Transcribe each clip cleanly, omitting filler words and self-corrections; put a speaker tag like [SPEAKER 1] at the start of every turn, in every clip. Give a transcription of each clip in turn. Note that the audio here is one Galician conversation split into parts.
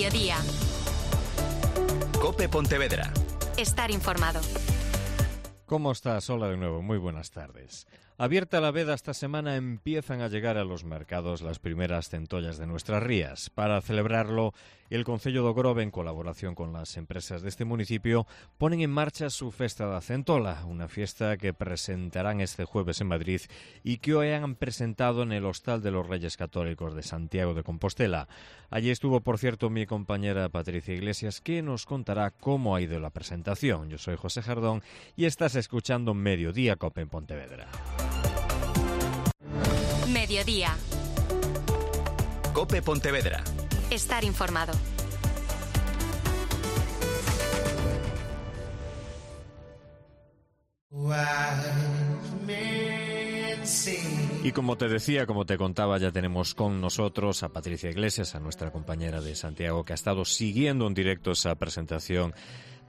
[SPEAKER 1] Mediodía.
[SPEAKER 2] COPE Pontevedra.
[SPEAKER 1] Estar informado.
[SPEAKER 3] ¿Cómo estás? Hola de nuevo, muy buenas tardes. Abierta la veda esta semana, empiezan a llegar a los mercados las primeras centollas de nuestras rías. Para celebrarlo, el Concello do Grove, en colaboración con las empresas de este municipio, ponen en marcha su Festa da Centola, una fiesta que presentarán este jueves en Madrid y que hoy han presentado en el Hostal de los Reyes Católicos de Santiago de Compostela. Allí estuvo, por cierto, mi compañera Patricia Iglesias, que nos contará cómo ha ido la presentación. Yo soy José Jardón y estás escuchando Mediodía COPE en Pontevedra.
[SPEAKER 1] Mediodía.
[SPEAKER 2] COPE Pontevedra.
[SPEAKER 1] Estar informado.
[SPEAKER 3] Y como te decía, como te contaba, ya tenemos con nosotros a Patricia Iglesias, a nuestra compañera de Santiago, que ha estado siguiendo en directo esa presentación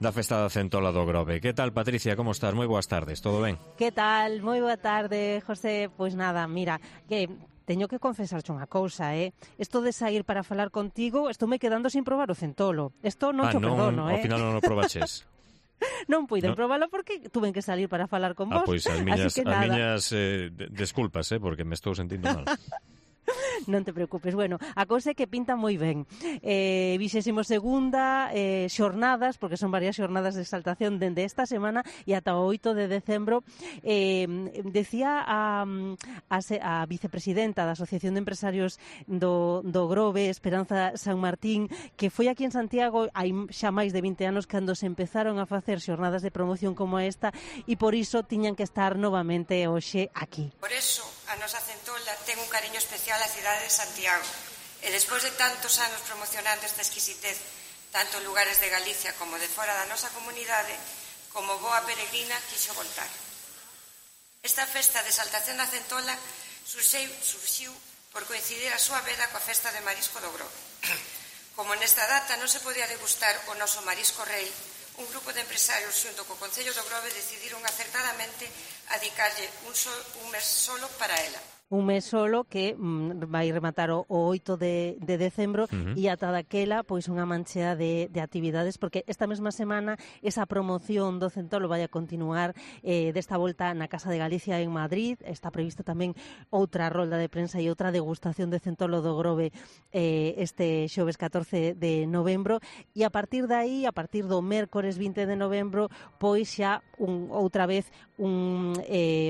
[SPEAKER 3] da Festa da Centola do Grove. Que tal, Patricia? Como estás? Moi boas tardes, todo ben?
[SPEAKER 4] Que tal? Moi boa tarde, José. Pois nada, mira, que teño que confesarche unha cousa, Isto de sair para falar contigo, estou me quedando sin probar o centolo. Isto non cho perdono,
[SPEAKER 3] Ao final non o probaches.
[SPEAKER 4] Non puiden
[SPEAKER 3] ¿No?
[SPEAKER 4] probalo porque tuven que salir para falar con vos.
[SPEAKER 3] Pois as miñas desculpas, porque me estou sentindo mal.
[SPEAKER 4] Non te preocupes. Bueno, a cousa é que pinta moi ben. 22ª xornadas, porque son varias xornadas de exaltación dende esta semana e ata o 8 de decembro. Decía a vicepresidenta da Asociación de Empresarios do Grove, Esperanza San Martín, que foi aquí en Santiago hai xa máis de 20 anos cando se empezaron a facer xornadas de promoción como esta, e por iso tiñan que estar novamente hoxe aquí.
[SPEAKER 5] Por eso, a nosa centola ten un cariño especial á cidade de Santiago, e despois de tantos anos promocionando esta exquisitez, tanto en lugares de Galicia como de fora da nosa comunidade, como boa peregrina quixo voltar. Esta festa de exaltación da centola surxiu por coincidir a súa veda coa festa de marisco do Grove. Como nesta data non se podía degustar o noso marisco rei, un grupo de empresarios xunto co Concello do Grove decidiron acertadamente adicarlle un mes solo para ela.
[SPEAKER 4] Un mes solo que vai rematar o 8 de decembro e ata daquela pois unha manchea de actividades, porque esta mesma semana esa promoción do centolo vai a continuar desta volta na Casa de Galicia en Madrid. Está prevista tamén outra rolda de prensa e outra degustación de centolo do Grove este xoves 14 de novembro, e a partir de aí, a partir do mércores 20 de novembro, pois xa outra vez un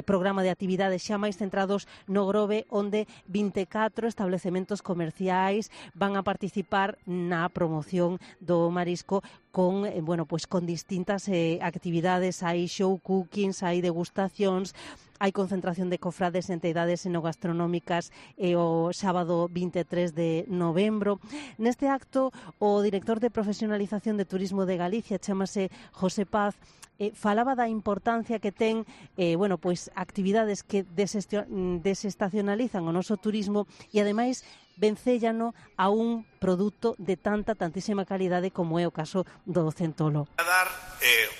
[SPEAKER 4] programa de actividades xa máis centrados no Grove, onde 24 establecementos comerciais van a participar na promoción do marisco con, pois con distintas actividades. Hai show cookings, hai degustacións, hai concentración de cofrades e entidades enogastronómicas o sábado 23 de novembro. Neste acto, o director de profesionalización de turismo de Galicia, chámase José Paz, falaba da importancia que ten pois actividades que desestacionalizan o noso turismo e ademais vencéllano a un produto de tantísima calidade como é o caso do centolo.
[SPEAKER 6] A dar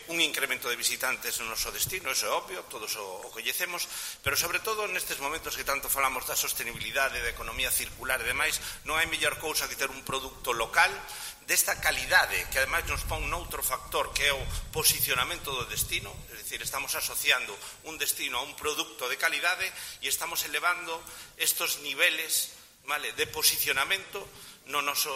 [SPEAKER 6] un incremento de visitantes no noso destino, eso é obvio, todos o coñecemos, pero sobre todo nestes momentos que tanto falamos da sostenibilidade, da economía circular e demais, non hai mellor cousa que ter un produto local desta calidade, que ademais nos pon noutro factor que é o posicionamento do destino, é dicir, estamos asociando un destino a un produto de calidade e estamos elevando estos niveles, vale, de posicionamento no noso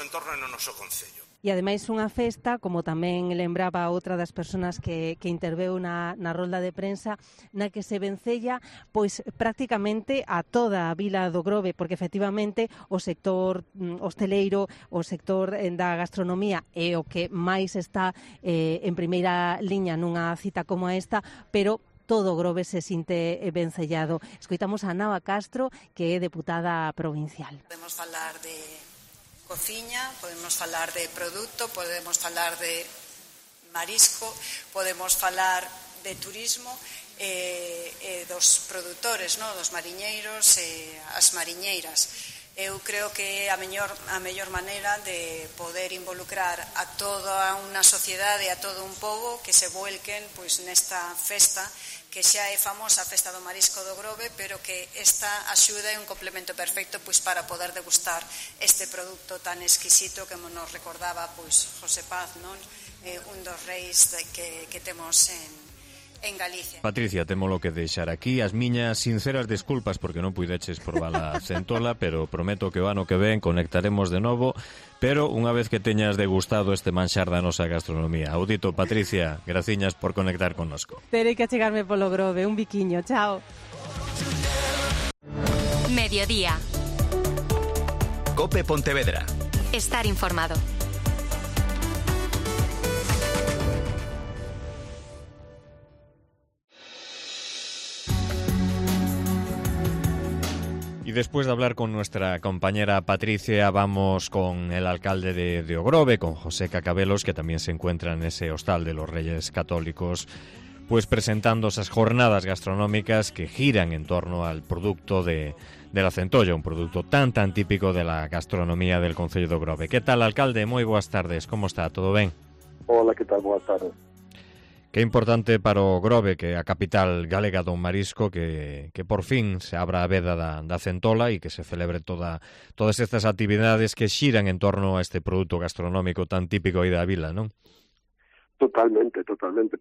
[SPEAKER 6] entorno e no noso concello.
[SPEAKER 4] E ademais unha festa, como tamén lembraba outra das persoas que interveu na rolda de prensa, na que se vencella pois prácticamente a toda a vila do Grove, porque efectivamente o sector hosteleiro, o sector da gastronomía é o que máis está en primeira liña nunha cita como esta, pero todo o Grove se sinte vencellado. Escoitamos a Nava Castro, que é deputada provincial.
[SPEAKER 5] Podemos falar de cociña, podemos falar de produto, podemos falar de marisco, podemos falar de turismo dos produtores, dos mariñeiros e as mariñeiras.
[SPEAKER 2] Eu creo que a mellor maneira de poder involucrar a toda unha sociedade e a todo un pobo que se vuelquen pois nesta festa que xa é famosa, a Festa do Marisco do Grove, pero que esta axuda é un complemento perfecto pois para poder degustar este produto tan exquisito que nos recordaba pois José Paz, non? Un dos reis que temos en Galicia.
[SPEAKER 3] Patricia, témolo que deixar aquí. As miñas sinceras desculpas porque non puideches probar a centola, pero prometo que o ano que ven conectaremos de novo, pero unha vez que teñas degustado este manxar da nosa gastronomía. Audito, Patricia, graciñas por conectar connosco.
[SPEAKER 4] Terei que achegarme polo Grove, un biquiño, chao.
[SPEAKER 1] Mediodía.
[SPEAKER 7] COPE Pontevedra.
[SPEAKER 1] Estar informado.
[SPEAKER 3] Y después de hablar con nuestra compañera Patricia, vamos con el alcalde de Ogrove, con José Cacabelos, que también se encuentra en ese hostal de los Reyes Católicos, pues presentando esas jornadas gastronómicas que giran en torno al producto de la centolla, un producto tan típico de la gastronomía del concello de Ogrove. ¿Qué tal, alcalde? Moi boas tardes. ¿Cómo está? ¿Todo ben?
[SPEAKER 8] Hola, que tal? Boas tardes.
[SPEAKER 3] Que importante para o Grove, que é a capital galega do marisco, que por fin se abra a veda da centola e que se celebre todas estas actividades que xiran en torno a este produto gastronómico tan típico aí da vila, non?
[SPEAKER 8] Totalmente.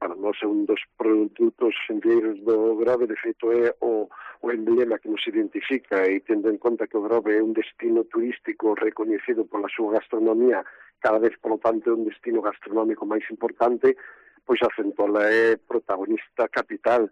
[SPEAKER 8] Para nós é un dos produtos xenreiros do Grove, de feito é o emblema que nos identifica, e tendo en conta que o Grove é un destino turístico recoñecido pola súa gastronomía, cada vez, polo tanto, é un destino gastronómico máis importante, pois a centola é protagonista capital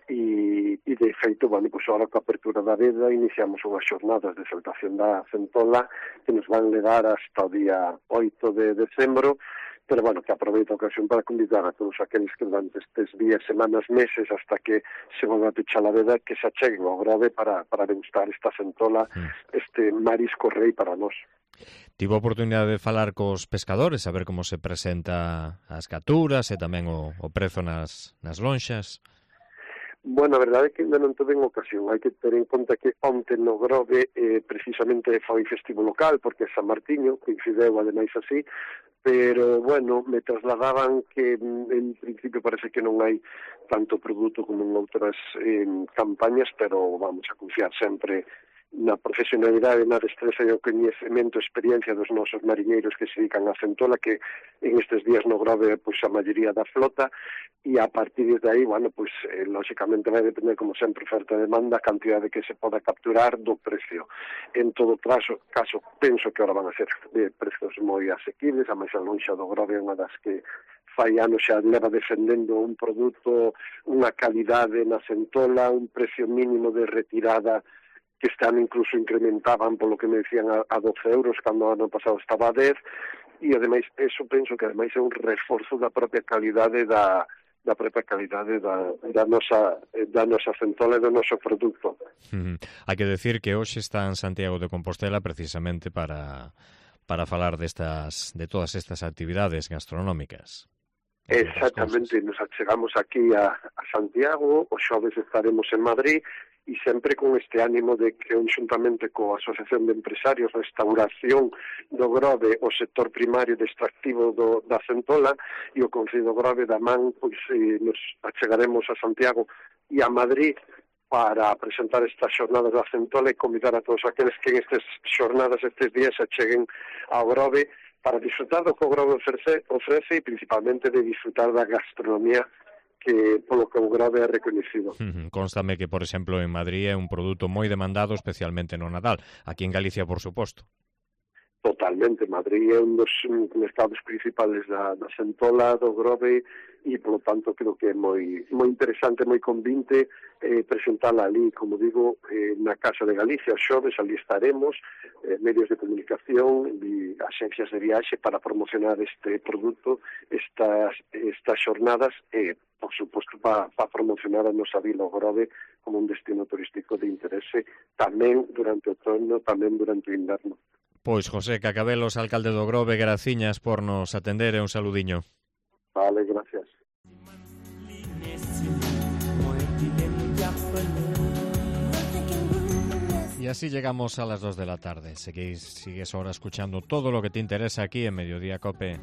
[SPEAKER 8] e de feito, pois agora coa apertura da veda iniciamos unhas xornadas de exaltación da centola que nos van levar hasta o día 8 de decembro, pero que aproveito a ocasión para convidar a todos aqueles que durante estes días, semanas, meses, hasta que se volva a pechar a veda, que se acheguen ao Grove para degustar esta centola, este marisco rei para nós.
[SPEAKER 3] Tivo a oportunidade de falar cos pescadores, a ver como se presenta as capturas e tamén o prezo nas lonxas.
[SPEAKER 8] Bueno, a verdade é que ainda non tuve en ocasión. Hai que ter en conta que onte no Grove precisamente foi festivo local, porque é San Martiño, coincideu ademais así, pero, me trasladaban que en principio parece que non hai tanto produto como en outras campañas, pero vamos a confiar sempre na profesionalidade, na destreza e o coñecemento e experiencia dos nosos mariñeiros que se dedican á centola, que en estes días no Grove pois a maioría da flota, e a partir de aí, lógicamente vai depender, como sempre, oferta e demanda, a cantidade que se poda capturar do precio. En todo caso, penso que ahora van a ser de prezos moi asequibles, a máis a lonxa do Grove é unha das que fai anos xa leva defendendo un produto, unha calidade na centola, un precio mínimo de retirada que este ano incluso incrementaban polo que me decían a 12 euros, cando o ano pasado estaba a 10, e ademais, eso penso que ademais é un reforzo da propia calidade da nosa centola e do noso produto.
[SPEAKER 3] Hai que decir que hoxe está en Santiago de Compostela precisamente para falar de todas estas actividades gastronómicas.
[SPEAKER 8] Exactamente, nos achegamos aquí a Santiago, o xoves estaremos en Madrid, e sempre con este ánimo de que, xuntamente coa Asociación de Empresarios Restauración do Grove, o sector primario de extractivo da centola e o Concello do Grove da man, pois nos achegaremos a Santiago e a Madrid para presentar estas xornadas da centola e convidar a todos aqueles que en estas xornadas, estes días, se acheguen ao Grove para disfrutar do que o Grove ofrece e principalmente de disfrutar da gastronomía que polo que o Grove é recoñecido.
[SPEAKER 3] Constame que, por exemplo, en Madrid é un produto moi demandado, especialmente no Nadal. Aquí en Galicia, por suposto.
[SPEAKER 8] Totalmente. Madrid é un dos mercados principales da centola, do Grove, e, polo tanto, creo que é moi interesante, moi convinte presentala ali, como digo, na Casa de Galicia, os xoves, ali estaremos, medios de comunicación e axencias de viaxe para promocionar este produto, estas xornadas, e, por suposto, para promocionar a nosa vila, o Grove, como un destino turístico de interese, tamén durante o outono, tamén durante o inverno.
[SPEAKER 3] Pois José Cacabelos, alcalde do Grove, graciñas por nos atender e un saludiño.
[SPEAKER 8] Vale, gracias.
[SPEAKER 3] E así llegamos a las 2 de la tarde. Sigues ahora escuchando todo lo que te interesa aquí en Mediodía COPE.